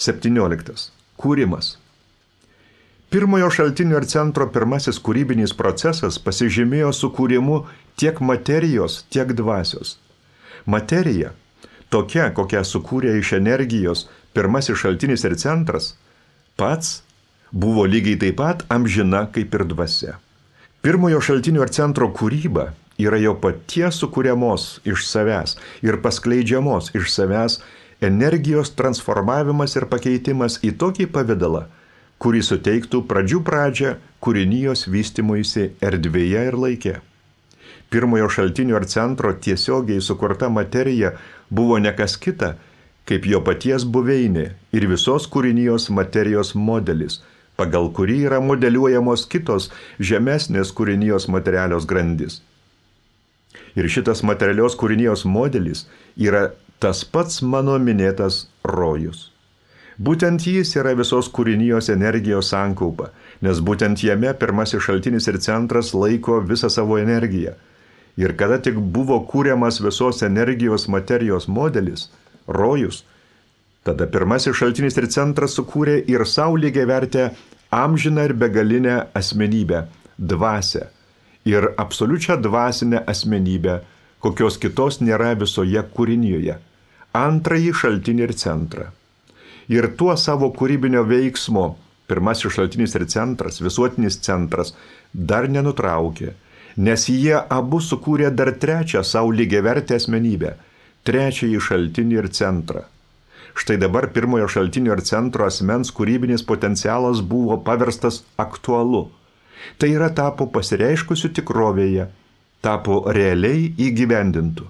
17. Kūrimas. Pirmojo šaltinio ir centro pirmasis kūrybinis procesas pasižymėjo sukūrimu tiek materijos, tiek dvasios. Materija, tokia, kokią sukūrė iš energijos pirmasis šaltinis ir centras, pats buvo lygiai taip pat amžina kaip ir dvasia. Pirmojo šaltinio ir centro kūryba yra jo paties sukūriamos iš savęs ir paskleidžiamos iš savęs energijos transformavimas ir pakeitimas į tokį pavidalą, kurį suteiktų pradžią kūrinijos vystymuisi erdvėje ir laike. Pirmojo šaltinio ir centro tiesiogiai sukurta materija buvo ne kas kita, kaip jo paties buveinė ir visos kūrinijos materijos modelis, pagal kurį yra modeliuojamos kitos žemesnės kūrinijos materialios grandys. Ir šitas materialios kūrinijos modelis yra tas pats mano minėtas rojus. Būtent jis yra visos kūrinijos energijos sankaupa, nes būtent jame pirmasis šaltinis ir centras laiko visą savo energiją. Ir kada tik buvo kūriamas visos energijos materijos modelis, rojus, tada pirmasis šaltinis ir centras sukūrė ir sau lygiavertę amžiną ir begalinę asmenybę, dvasią ir absoliučią dvasinę asmenybę, kokios kitos nėra visoje kūrinijoje, antrąjį šaltinį ir centrą. Ir tuo savo kūrybinio veiksmo pirmasis šaltinis ir centras, visuotinis centras, dar nenutraukė, nes jie abu sukūrė dar trečią savo lygiavertę asmenybę, trečiąjį šaltinį ir centrą. Štai dabar pirmojo šaltinio ir centro asmens kūrybinis potencialas buvo paverstas aktualu. Tai yra tapo pasireiškusiu tikrovėje, tapo realiai įgyvendintu.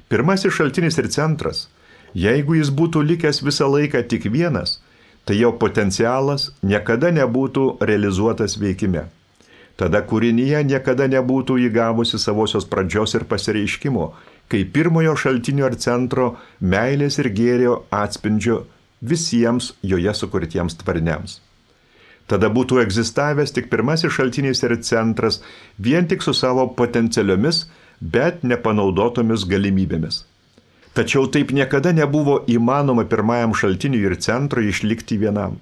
Pirmasis šaltinis ir centras, jeigu jis būtų likęs visą laiką tik vienas, tai jo potencialas niekada nebūtų realizuotas veikime. Tada kūrinyje niekada nebūtų įgavusi savosios pradžios ir pasireiškimo, kai pirmojo šaltinio ir centro meilės ir gėrio atspindžio visiems joje sukurtiems tvariniams. Tada būtų egzistavęs tik pirmasis šaltinis ir centras vien tik su savo potencialiomis, bet nepanaudotomis galimybėmis. Tačiau taip niekada nebuvo įmanoma pirmajam šaltiniui ir centrui išlikti vienam,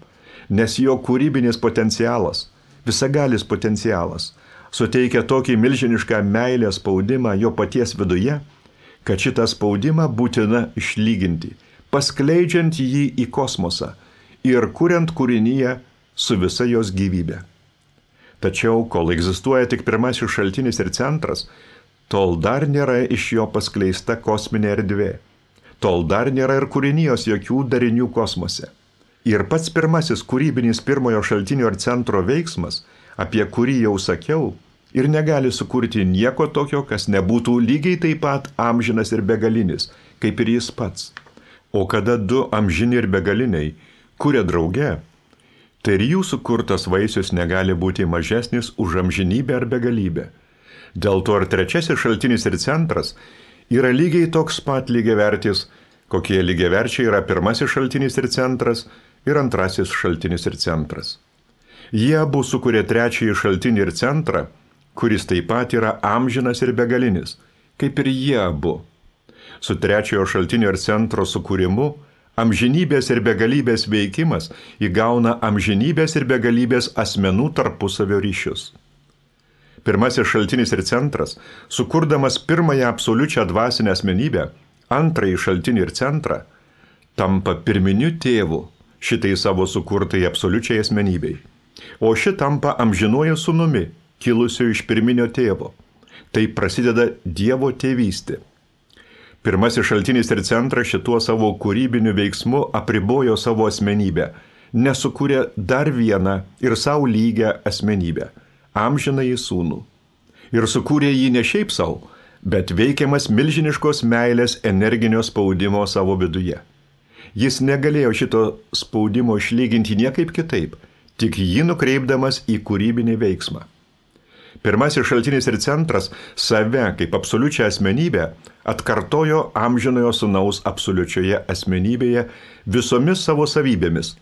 nes jo kūrybinis potencialas, visagalis potencialas, suteikia tokį milžinišką meilės spaudimą jo paties viduje, kad šitą spaudimą būtina išlyginti, paskleidžiant jį į kosmosą ir kuriant kūrinyje su visa jos gyvybė. Tačiau, kol egzistuoja tik pirmasis šaltinis ir centras, tol dar nėra iš jo paskleista kosminė erdvė. Tol dar nėra ir kūrinijos jokių darinių kosmose. Ir pats pirmasis kūrybinis pirmojo šaltinio ir centro veiksmas, apie kurį jau sakiau, ir negali sukurti nieko tokio, kas nebūtų lygiai taip pat amžinas ir begalinis, kaip ir jis pats. O kada du amžini ir begaliniai kuria drauge, tai ir jų sukurtas vaisius negali būti mažesnis už amžinybę ar begalybę. Dėl to ir trečiasis šaltinis ir centras yra lygiai toks pat lygiavertis, kokie lygiaverčiai yra pirmasis šaltinis ir centras ir antrasis šaltinis ir centras. Jie abu sukuria trečiąjį šaltinį ir centrą, kuris taip pat yra amžinas ir begalinis, kaip ir jie abu. Su trečiojo šaltinio ir centro sukūrimu amžinybės ir begalybės veikimas įgauna amžinybės ir begalybės asmenų tarpusavio ryšius. Pirmasis šaltinis ir centras, sukurdamas pirmąją absoliučią dvasinę asmenybę, antrąjį šaltinį ir centrą, tampa pirminiu tėvu šitai savo sukurtai absoliučiai asmenybei, o ši tampa amžinuoju sūnumi, kilusiu iš pirminio tėvo. Tai prasideda Dievo tėvystė. Pirmasis šaltinis ir centras šituo savo kūrybiniu veiksmu apribojo savo asmenybę, nesukūrė dar vieną ir savo lygią asmenybę, amžinąjį sūnų. Ir sukūrė jį ne šiaip savo, bet veikiamas milžiniškos meilės energinio spaudimo savo viduje. Jis negalėjo šito spaudimo išlyginti niekaip kitaip, tik jį nukreipdamas į kūrybinį veiksmą. Pirmasis šaltinis ir centras save kaip absoliučią asmenybę atkartojo amžinojo sūnaus absoliučioje asmenybėje visomis savo savybėmis,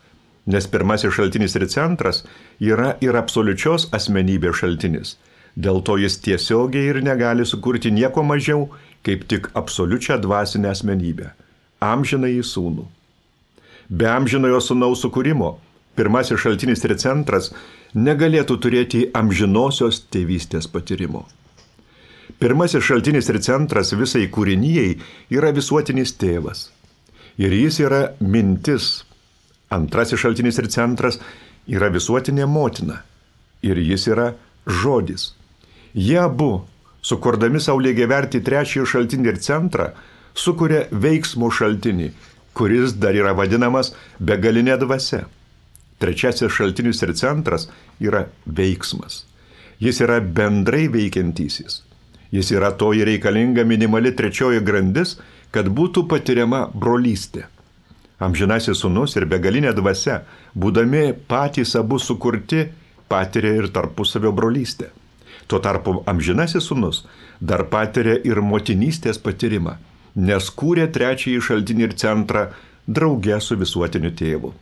nes pirmasis šaltinis ir centras yra ir absoliučios asmenybės šaltinis. Dėl to jis tiesiogiai ir negali sukurti nieko mažiau, kaip tik absoliučią dvasinę asmenybę, amžinąjį sūnų. Be amžinojo sūnaus sukūrimo pirmasis šaltinis ir centras negalėtų turėti amžinosios tėvystės patyrimo. Pirmasis šaltinis ir centras visai kūrinijai yra visuotinis tėvas. Ir jis yra mintis. Antrasis šaltinis ir centras yra visuotinė motina. Ir jis yra žodis. Jie abu, sukurdami savo lygiavertį trečiąjį šaltinį ir centrą, sukuria veiksmo šaltinį, kuris dar yra vadinamas begalinė dvasia. Trečiasis šaltinis ir centras yra veiksmas. Jis yra bendrai veikiantysis. Jis yra toji reikalinga minimali trečioji grandis, kad būtų patiriama brolystė. Amžinasis sūnus ir begalinė dvasia, būdami patys abu sukurti, patiria ir tarpusavio brolystę. Tuo tarpu amžinasis sūnus dar patiria ir motinystės patyrimą, nes kūrė trečiąjį šaltinį ir centrą drauge su visuotiniu tėvu.